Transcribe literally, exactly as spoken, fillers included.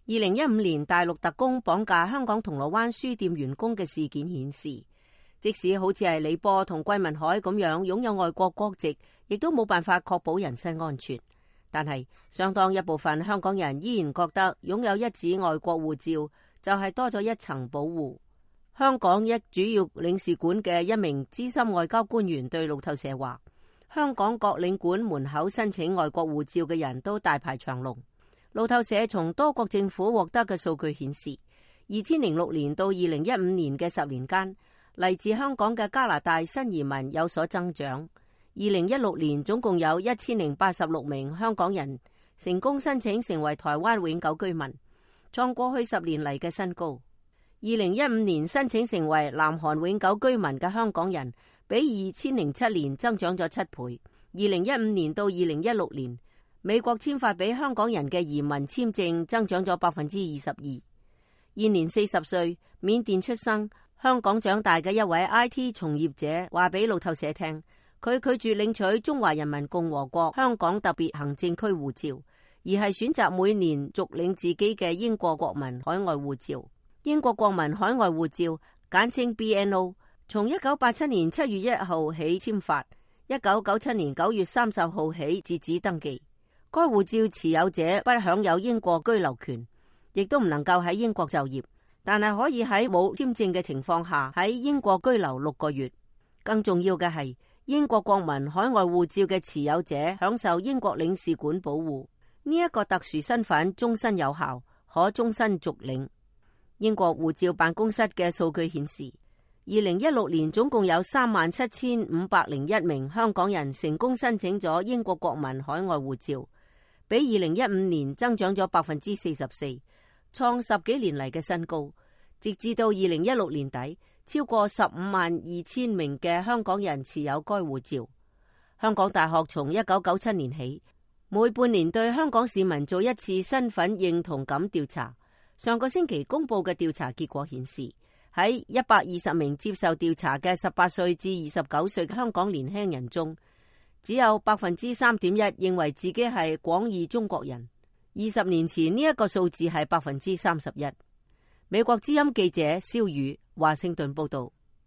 二零一五年大陸特工綁架香港銅鑼灣書店員工嘅事件顯示，即使好似係李波同桂民海咁樣擁有外國國籍，亦都冇辦法確保人身安全。但係相當一部分香港人依然覺得擁有一紙外國護照就係多咗一層保護。香港一主要領事館嘅一名資深外交官員對路透社話，香港各領館門口申請外國護照嘅人都大排長龍。路透社從多國政府獲得嘅數據顯示，二千零六年到二零一五年嘅十年間，嚟自香港嘅加拿大新移民有所增長。二零一六年總共有一千零八十六名香港人成功申請成為台灣永久居民，創過去十年嚟嘅新高。二零一五年申請成為南韓永久居民嘅香港人比二千零七年增長咗七倍。二零一五年到二零一六年，美國簽發俾香港人嘅移民簽證增長咗百分之二十二。現年四十歲，緬甸出生，香港長大嘅一位 I T 從業者話俾路透社聽，佢拒絕領取中華人民共和國香港特別行政區護照，而係選擇每年續領自己嘅英國國民海外護照。英國國民海外護照簡稱 B N O， 從一九八七年七月一號起簽發，一九九七年九月三十號起截止登記。該護照持有者不享有英國居留權，亦都唔能夠喺英國就業，但係可以喺冇簽證嘅情況下喺英國居留六個月。更重要嘅係，英國國民海外護照嘅持有者享受英國領事館保護，呢一個特殊身份終身有效，可終身續領。英國護照辦公室嘅數據顯示，二零一六年總共有三萬七千五百零一名香港人成功申請咗英國國民海外護照，比二零一五年增長咗百分之四十四，創十幾年嚟嘅新高。直至到二零一六年底，超過十五萬二千名嘅香港人持有該護照。香港大學從一九九七年起，每半年對香港市民做一次身份認同感調查。上個星期公布嘅調查結果顯示，喺一百二十名接受調查嘅十八歲至二十九歲嘅香港年輕人中，只有百分之三點一認為自己係廣義中國人。二十年前呢一個數字係百分之三十一。美國之音記者蕭宇華盛頓報道。